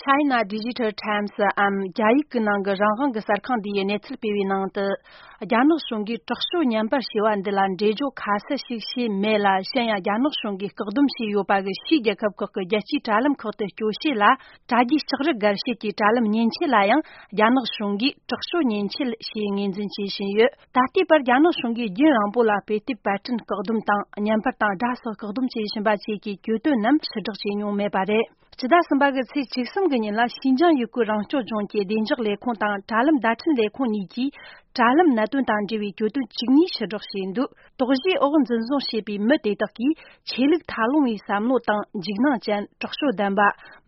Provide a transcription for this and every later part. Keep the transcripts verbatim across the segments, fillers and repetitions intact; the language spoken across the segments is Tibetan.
China Digital Times་འམ་རྒྱ་ཡིག་གི་ནང་གི་རང་དབང་གི་གསར་ཁང་འདི་ཡི་གནས་ཚུལ་སྤེལ་བའི་ནང་དུ། རྒྱ་ནག་གཞུང་གིས་དྲག་སྤྱོད་བརྙན་པར་ཞེས་པ་འདི་ལ་འགྲེལ་བརྗོད་ཁ་གསལ་ཞིག་བྱས་མེད་ལ། གཞན་ཡང་རྒྱ་ནག་གཞུང་གིས་བཀག་སྡོམ་བྱས་ཡོད་པ་གི་ཕྱིའི་རྒྱལ་ཁབ་ཁག་གི་རྒྱལ་སྤྱིའི་དྲ་ལམ་ཁག་ཏུ་སྐྱོད་བྱེད་ལ། དྲ་རྒྱའི་ལྕགས་རི་སྒར་བྱེད་ཀྱི་དྲ་ལམ་མཉེན་ཆས་ལ་ཡང་རྒྱ་ནག་གཞུང་གིས་དྲག་སྤྱོད་མཉེན་ཆས་ཞེས་ངོས་འཛིན་བྱེད་བཞིན་ཡོད། ད་ལྟའི་བར་རྒྱ་ནག་གཞུང་གིས་རྒྱུན་རིང་པོ་ལ་དཔེ་དེབ་པར་སྐྲུན་བཀག་སྡོམ་དང་། བརྙན་པར་དང་སྒྲ་སོགས་བཀག་སྡོམ་བྱས་བཞིན་པ་བཅས་ཀྱི་གྱོད་དོན་རྣམས་ཕྱིར་བསྒྲགས་བྱས་མྱོང་མེད་པ་རེད། སྤྱི་ཟླ་གསུམ་པ་གི་ཚེས་བཅུ་གསུམ་གྱི་ཉིན་ལ་ཤིན་ཅང་ཡུ་གུར་རང་སྐྱོང་ལྗོངས་ཀྱི་བདེ་འཇགས་ལས་ཁུངས་དང་དྲ་ལམ་བརྡ་འཕྲིན་ལས་ཁུངས་གཉིས་ཀྱིས་དྲ་ལམ་གནད་དོན་དང་འབྲེལ་བའི་གྱོད་དོན་བཅུ་གཉིས་ཕྱིར་བསྒྲགས་བྱས་འདུག་དོགས་གཞིའི་འོག་འཛིན་བཟུང་བྱས་པའི་མི་དེ་དག་གིས་ཆོས་ལུགས་ཐབས་ལོང་བའི་བསམ་བློ་དང་འཇིགས་སྣང་ཅན། དྲག་སྤྱོད་ལྡན་པ།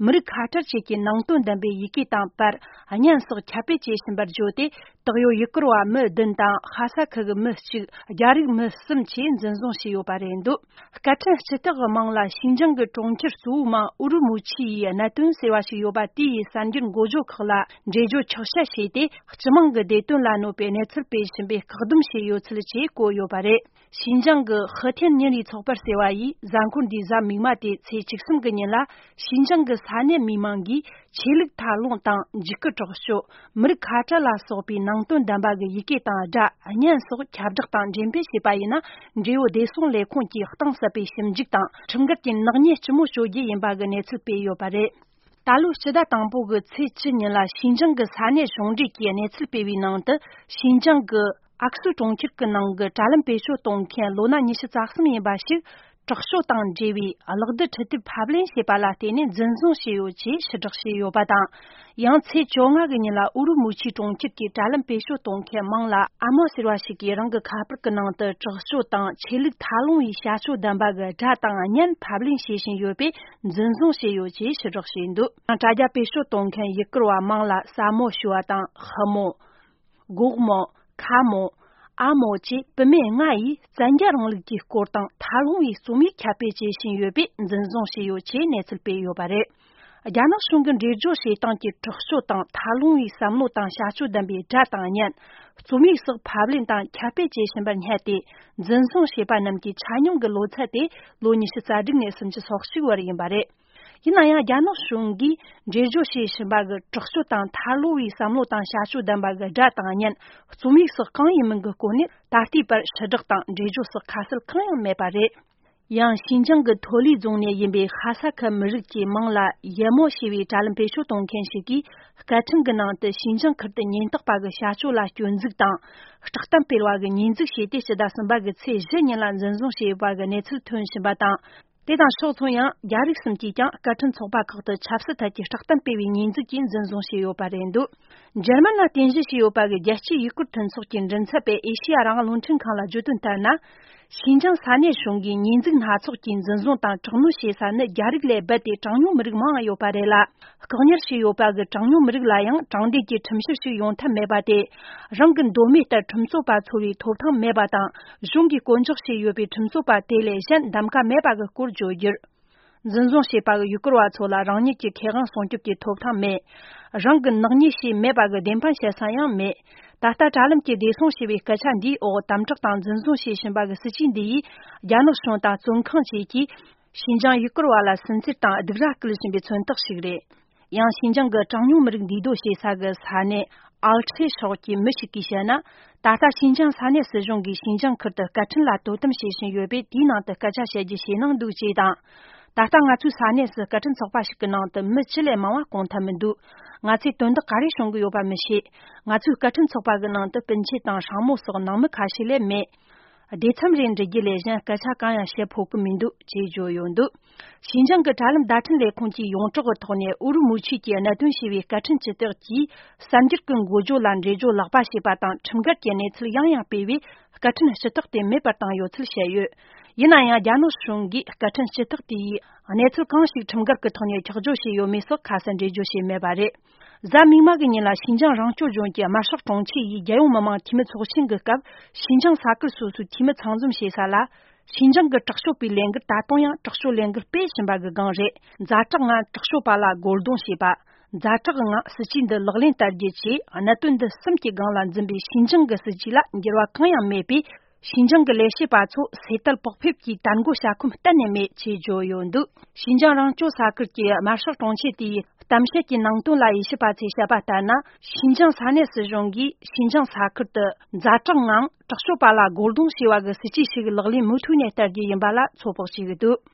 མི་རིགས་ཁ་བྲལ་བཅས་ཀྱི་ནང་དོན་ལྡན་པའི་ཡི་གེ་དང་པར། བརྙན་སོགས་ཁྱབ་སྤེལ་བྱེད་བཞིན་པར་བརྗོད་དེ། དག་ཡོད་ཡུ་གུར་བ་མི་བདུན་དང་ལྷ་ས་ཁུལ་གྱི་མི་གཅིག་རྒྱ་རིགས་མི་གསུམ་བཅས་འཛིན་བཟུང་བྱས་ཡོད་པ་རེད་འདུག་སྐད་འཕྲིན་སྤྱི་ཚོགས་ཀྱི་མིང་ལ་ཤིན་ཅང་གི་གྲོང་ཁྱེར་གཙོ་བོའི་མིང་ཨུ་རུ་མུ་ཆི་ཡི་གནད་དོན་ཟེར་བ་ཞིག་ཡོད་པ་དེ་ཡི་གསར་འགྱུར་འགོ་བརྗོད་ཁག་ལ་འགྲེལ་བརྗོད་ཆོག་མཆན་བྱས་ཏེ། སྤྱི་དམངས་ཀྱི་བདེ་དོན་ལ་གནོད་པའི་གནས་ཚུལ་སྤེལ་བཞིན་པའི་བཀག་སྡོམ་བྱས་ཡོད་ཚུལ་བཅས་བཀོད་ཡོད་པ་རེད། ཤིན་ཅང་གི་ཧི་ཐེན་ཉིན་རེའི་ཚོགས་པར་ཟེར་བ་ཡིས་གཟའ་འཁོར་འདིའི་གཟའ་མིག་དམར་ཏེ་ཚེས་བཅུ་གསུམ་གྱི་ཉིན་ལ། ཤིན་ཅང་གི་ས་གནས་མི་མང་གིས་ཆོས་ལུགས་ཐབས་ལོང་དང་འཇིགས་སྐུལ་དྲག་སྤྱོད། མི་རིགས་ཁ་བྲལ་ལ་སོགས་པའི་ནང་དོན་ལྡན་པ་གི་ཡི་གེ་དང་སྒྲ། བརྙན་སོགས་ཁྱབ་བསྒྲགས་དང་འགྲེམས་སྤེལ་བྱས་པ་ཡིན་ན། འབྲེལ་ཡོད་བདེ་སྲུང་ལས་ཁུངས་ཀྱིས་གཏིང་ཟབ་པའི་ཞིབ་འཇུག་དང་ཁྲིམས་འགལ་གྱི་ནག་ཉེས་ལྕི་མོ་གཅོད་རྒྱུ་ཡིན་པ་གི་གནས་ཚུལ་སྤེལ་ཡོད་པ་རེད། ད་ལོའི་སྤྱི་ཟླ་དང་པོ་གི་ཚེས་བཅུ་ཉིན་ལ་ཤིན་ཅང་གི་ས་གནས་གཞུང་འབྲེལ་གྱིས་གནས་ཚུལ་སྤེལ་བའི་ནང་དུ། ཤིན་ཅང་གི་ཨག་སུ་གྲོང་ཁྱེར་གྱི་ནང་གི་དྲ་ལམ་བེད་སྤྱོད་གཏོང་མཁན་ལོ་ན་ཉི་ཤུ་རྩ་གསུམ་ཡིན་པ་ཞིག་དྲག་སྤྱོད་དང་འབྲེལ་བའི་གློག་རྡུལ་འཕྲུལ་དེབ་ཕབ་ལེན་བྱས་པ་ལ་བརྟེན་ནས་འཛིན་བཟུང་བྱས་ཡོད་ཅེས་ཕྱིར་བསྒྲགས་བྱས་ཡོད་པ་དང་། ཡང་ཚེས་བཅོ་ལྔ་གི་ཉིན་ལ་ཨུ་རུ་མུ་ཆིའི་གྲོང་ཁྱེར་གྱི་དྲ་ལམ་བེད་སྤྱོད་གཏོང་མཁན་མིང་ལ་ཨ་མོ་ཟེར་བ་ཞིག་གིས་རང་གི་ཁ་པར་གྱི་ནང་དུ་དྲག་སྤྱོད་དང་ཆོས་ལུགས་ཐབས་ལོང་བའི་བྱ་སྤྱོད་ལྡན་པ་གི་སྒྲ་དང་བརྙན་ཕབ་ལེན་བྱེད་བཞིན་ཡོད་པས། འཛིན་བཟུང་བྱས་ཡོད་ཅེས་ཕྱིར་བསྒྲགས་བྱས་འདུག་ཡང་དྲ་རྒྱ་བེད་སྤྱོད་གཏོང་མཁན་ཡུ་གུར་བ་མིང་ལ་ས་མོ་ཞུ་བ་དང་ཧི་མོ། གོག་མོ། ཁ་མོ། ཨ་མོ་བཅས་བུད་མེད་ལྔ་ཡིས་བཙན་རྒྱལ་རིང་ལུགས་ཀྱི་སྐོར་དང་ཐབས་ལོང་བའི་རྩོམ་ཡིག་ཁྱབ་སྤེལ་བྱེད་བཞིན་ཡོད་པས། འཛིན་བཟུང་བྱས་ཡོད་ཅེས་གནས་ཚུལ་སྤེལ་ཡོད་པ་རེད། རྒྱ་ནག་གཞུང་གི་འགྲེལ་བརྗོད་བྱེད་སྟངས་ཀྱི་དྲག་སྤྱོད་དང་ཐབས་ལོང་བའི་བསམ་བློ་དང་བྱ་སྤྱོད་ལྡན་པའི་སྒྲ་དང་བརྙན། རྩོམ་ཡིག་སོགས་ཕབ་ལེན་དང་ཁྱབ་སྤེལ་བྱེད་བཞིན་པར་བསྙད་དེ། འཛིན་བཟུང་བྱས་པ་རྣམས་ཀྱི་ཆ་སྙོམས་ཀྱི་ལོ་ཚད་དེ་ལོ་ཉི་ཤུ་རྩ་དྲུག་ནས་སུམ་ཅུ་སོ་གཅིག་བར་ཡིན་པ་རེད། ཡིན་ན་ཡང་རྒྱ་ནག་གཞུང་གིས་འགྲེལ་བརྗོད་བྱེད་བཞིན་པ་གི་དྲག་སྤྱོད་དང་ཐབས་ལོང་བའི་བསམ་བློ་དང་བྱ་སྤྱོད་ལྡན་པ་གི་སྒྲ་དང་བརྙན། རྩོམ་ཡིག་སོགས་གང་ཡིན་མིན་གྱི་སྐོར་ནས་ད་ལྟའི་བར་ཕྱིར་བསྒྲགས་དང་འགྲེལ་བརྗོད་སོགས་ཁ་གསལ་གང་ཡང་མེད་པ་རེད། ཡང་ཤིན་ཅང་གི་ཐོ་ལི་རྫོང་ནས་ཡིན་པའི་ཧ་ས་ཁུལ་མི་རིགས་ཀྱི་མིང་ལ་ཡེ་མོ་ཞེས་པའི་དྲ་ལམ་བེད་སྤྱོད་གཏོང་མཁན་ཞིག་གིས། སྐད་འཕྲིན་གྱི་ནང་དུ་ཤིན་ཅང་ཁུལ་དུ་ཉེན་རྟོག་པ་གི་བྱ་སྤྱོད་ལ་སྐྱོན་འཛུགས་དང་། སྐྲག་གཏམ་སྤེལ་བ་གི་ཉེས་འཛུགས་བྱས་ཏེ། སྤྱི་ཟླ་གསུམ་པ་གི་ཚེས་བཞི་ཉིན་ལ་འཛིན་བཟུང་བྱས་ཡོད་པ་གི་གནས་ཚུལ་ཐོན་བཞིན་པ་དང་། དེ་དང་ཕྱོགས་མཚུངས་ཡང་རྒྱ་རིགས་གསུམ་གྱིས་ཀྱང་སྐད་འཕྲིན་ཚོགས་པ་ཁག་ཏུ་ཆབ་སྲིད་ཐད་ཀྱི་སྐྲག་གཏམ་སྤེལ་བའི་ཉེས་འཛུགས་ཀྱིས་འཛིན་བཟུང་བྱས་ཡོད་པ་རེད་འདུག་འཇར་མན་ལ་རྟེན་གཞི་བྱས་ཡོད་པ་གི་རྒྱལ་སྤྱིའི་ཡུ་གུར་མཐུན་ཚོགས་ཀྱི་མགྲིན་ཚབ་པས་ཨེ་ཤེ་ཡ་རང་དབང་རླུང་འཕྲིན་ཁང་ལ་བརྗོད་དོན་ལྟར་ན། ཤིན་ཅང་ས་གནས་གཞུང་གིས་ཉེས་འཛུགས་སྣ་ཚོགས་ཀྱིས་འཛིན་བཟུང་དང་དྲག་གནོན་བྱེད་ས་ནི་རྒྱ་རིགས་ལས་རྦད་དེ་གྲངས་ཉུང་མི་རིགས་མང་ང་ཡོད་པ་རེད་ལ། བཀག་ཉར་བྱས་ཡོད་པ་གི་གྲངས་ཉུང་མི་རིགས་ལ་ཡང་དྲང་བདེན་གྱི་ཁྲིམས་བཤེར་ཞིག་ཡོང་ཐབས་མེད་པ་དེ། རང་གི་མདོ་སྨད་ལྟར་ཁྲིམས་རྩོད་པ་འཚོལ་བའི་ཐོབ་ཐང་མེད་པ་དང་། གཞུང་གིས་བསྐོ་འཇོག་བྱས་ཡོད་པའི་ཁྲིམས་རྩོད་པ་དེ་ལས་གཞན་གདམ་ཀ་མེད་པ་གི་སྐོར་བརྗོད་རྒྱུར། འཛིན་བཟུང་བྱས་པ་གི་ཡུ་གུར་བ་ཚོ་ལ་རང་ཉིད་ཀྱི་ཁེ་དབང་སྲུང་སྐྱོབ་ཀྱི་ཐོབ་ཐང་མེད། རང་གི་ནག་ཉེས་བྱས་མེད་པ་གི་བདེན་དཔང་བྱེད་ས་ཡང་མེད། ད་ལྟ་དྲ་ལམ་གྱི་བདེ་སྲུང་ཞེས་པའི་སྐད་ཆ་འདིའི་འོག་དམ་དྲག་དང་འཛིན་བཟུང་བྱེད་བཞིན་པ་གི་སྲིད་ཇུས་འདི་ཡིས་རྒྱ་ནག་གཞུང་དང་བཙོན་ཁང་བཅས་ཀྱིས་ཤིན་ཅང་ཡུ་གུར་བ་ལ་སུན་གཙེར་དང་སྡིགས་ར་སྐུལ་བཞིན་པའི་མཚོན་རྟགས་ཤིག་རེད། ཡང་ཤིན་ཅང་གི་གྲངས་ཉུང་མི་རིགས་འདུས་སྡོད་བྱེད་ས་གི་ས་གནས་ཨལ་ཁྲེ་ཕྱོགས་ཀྱི་མི་ཞིག་གིས་བཤད་ན། ད་ལྟ་ཤིན་ཅང་ས་གནས་སྲིད་གཞུང་གིས་ཤིན་ཅང་ཁུལ་དུ་སྐད་འཕྲིན་ལ་དོ་དམ་བྱེད་བཞིན་ཡོད་པས། དེའི་ནང་དུ་སྐད་ཆ་བཤད་རྒྱུ་ཞེད་སྣང་འདུག་ཅེས་དང་། ད་ལྟ་ང་ཚོའི་ས་གནས་སུ་སྐད་འཕྲིན་ཚོགས་པ་ཞིག་གི་ནང་དུ་མི་བཅུ་ལས་མང་བ་བསྐོང་ཐབས་མི་འདུག་ང་ཚོས་དོན་དག་ག་རེ་བྱུང་གི་ཡོད་པ་མི་ཤེས། ང་ཚོའི་སྐད་འཕྲིན་ཚོགས་པ་གི་ནང་དུ་སྤུན་མཆེད་དང་སྲིང་མོ་སོགས་ནང་མི་ཁ་ཤས་ལས་མེད། སྡེ་ཚན་རེ་འབྲི་རྒྱུ་ལས་གཞན་སྐད་ཆ་གང་ཡང་བཤད་ཕོད་ཀྱི་མི་འདུག་ཅེས་བརྗོད་ཡོད་འདུག་ཤིན་ཅང་གི་དྲ་ལམ་བརྡ་འཕྲིན་ལས་ཁུངས་ཀྱིས་ཡོངས་གྲགས་ཀྱི་ཐོག་ནས་ཨུ་རུ་མུ་ཆི་གྱི་གནད་དོན་ཞེས་པའི་སྐད་འཕྲིན་སྤྱི་སྟེགས་ཀྱིས་གསར་འགྱུར་གྱི་འགོ་བརྗོད་ལ་འགྲེལ་བརྗོད་ལག་པ་བྱས་པ་དང་། ཁྲིམས་འགལ་གྱི་གནས་ཚུལ་ཡང་ཡང་སྤེལ་བས། སྐད་འཕྲིན་སྤྱི་སྟེགས་དེ་མེད་པར་བཏང་ཡོད་ཚུལ་བཤད་ཡོད། ཡིན་ན་ཡང་རྒྱ་ནག་གཞུང་གིས་སྐད་འཕྲིན་སྤྱི་སྟེགས་དེ་ཡིས་གནས་ཚུལ་གང་ཞིག་ཁྲིམས་འགལ་གྱི་ཐོག་ནས་ཁྱབ་བསྒྲགས་བྱས་ཡོད་མེད་སོགས་ཁ་གསལ་འགྲེལ་བརྗོད་བྱས་མེད་པ་རེད། གཟའ་མིག་དམར་གྱི་ཉིན་ལ་ཤིན་ཅང་རང་སྐྱོང་ལྗོངས་ཀྱི་དམར་ཤོག་དྲུང་ཆེ་ཡིས་རྒྱལ་ཡོངས་མི་དམངས་འཐུས་མི་ཚོགས་ཆེན་གྱི་སྐབས། ཤིན་ཅང་ས་ཁུལ་སོ་སོའི་འཐུས་མི་ཚང་འཛོམས་བྱེད་ས་ལ། ཤིན་ཅང་གི་དྲག་སྤྱོད་པའི་ལས་འགུལ་ད་དུང་ཡང་དྲག་སྤྱོད་ལས་འགུལ་སྤེལ་བཞིན་པ་གི་སྒང་རེད། ཛ་དྲག་ངང་དྲག་སྤྱོད་པ་ལ་རྒོལ་རྡུང་བྱེད་པ། ཛ་དྲག་ངང་སྲིད་ཇུས་འདི་ལག་ལེན་བསྟར་རྒྱུ་བཅས། གནད་དོན་འདི་གསུམ་གྱི་སྒང་ལ་འཛིན་པའི་ཤིན་ཅང་གི་སྲིད་ཇུས་ལ་འགྱུར་བ་གང་ཡང་མེད་པས། ཤིན་ཅང་གི་ལས་བྱེད་པ་ཚོ་སེལ་ཐལ་བག་ཕེབས་ཀྱི་དར་མགོ་བྱ་ཁོམ་གཏན་ནས་མེད་ཅེས་བརྗོད་ཡོད་འདུག་ཤིན་ཅང་རང་སྐྱོང་ས་ཁུལ་གྱི་དམར་ཤོག་དྲུང་ཆེ་དེས། གཏམ་བཤད་ཀྱི་ནང་དོན་ལ་དབྱེ་ཞིབ་པ་ཚོས་བཤད་པ་ལྟར་ན། ཞིན་ཅང་ས་གནས་སྲིད་གཞུང་གིས་ཞིན་ཅང་ས་ཁུལ་དུ་ཛ་དྲག་ངང་དྲག་སྤྱོད་པ་ལ་རྒོལ་རྡུང་བྱས་པ་གི་སྲིད་ཇུས་ཤིག་ལག་ལེན་མུ་མཐུད་ནས་བསྟར་རྒྱུ་ཡིན་པ་ལ་ཚོད་དཔག་བྱེད་ཀྱི་འདུག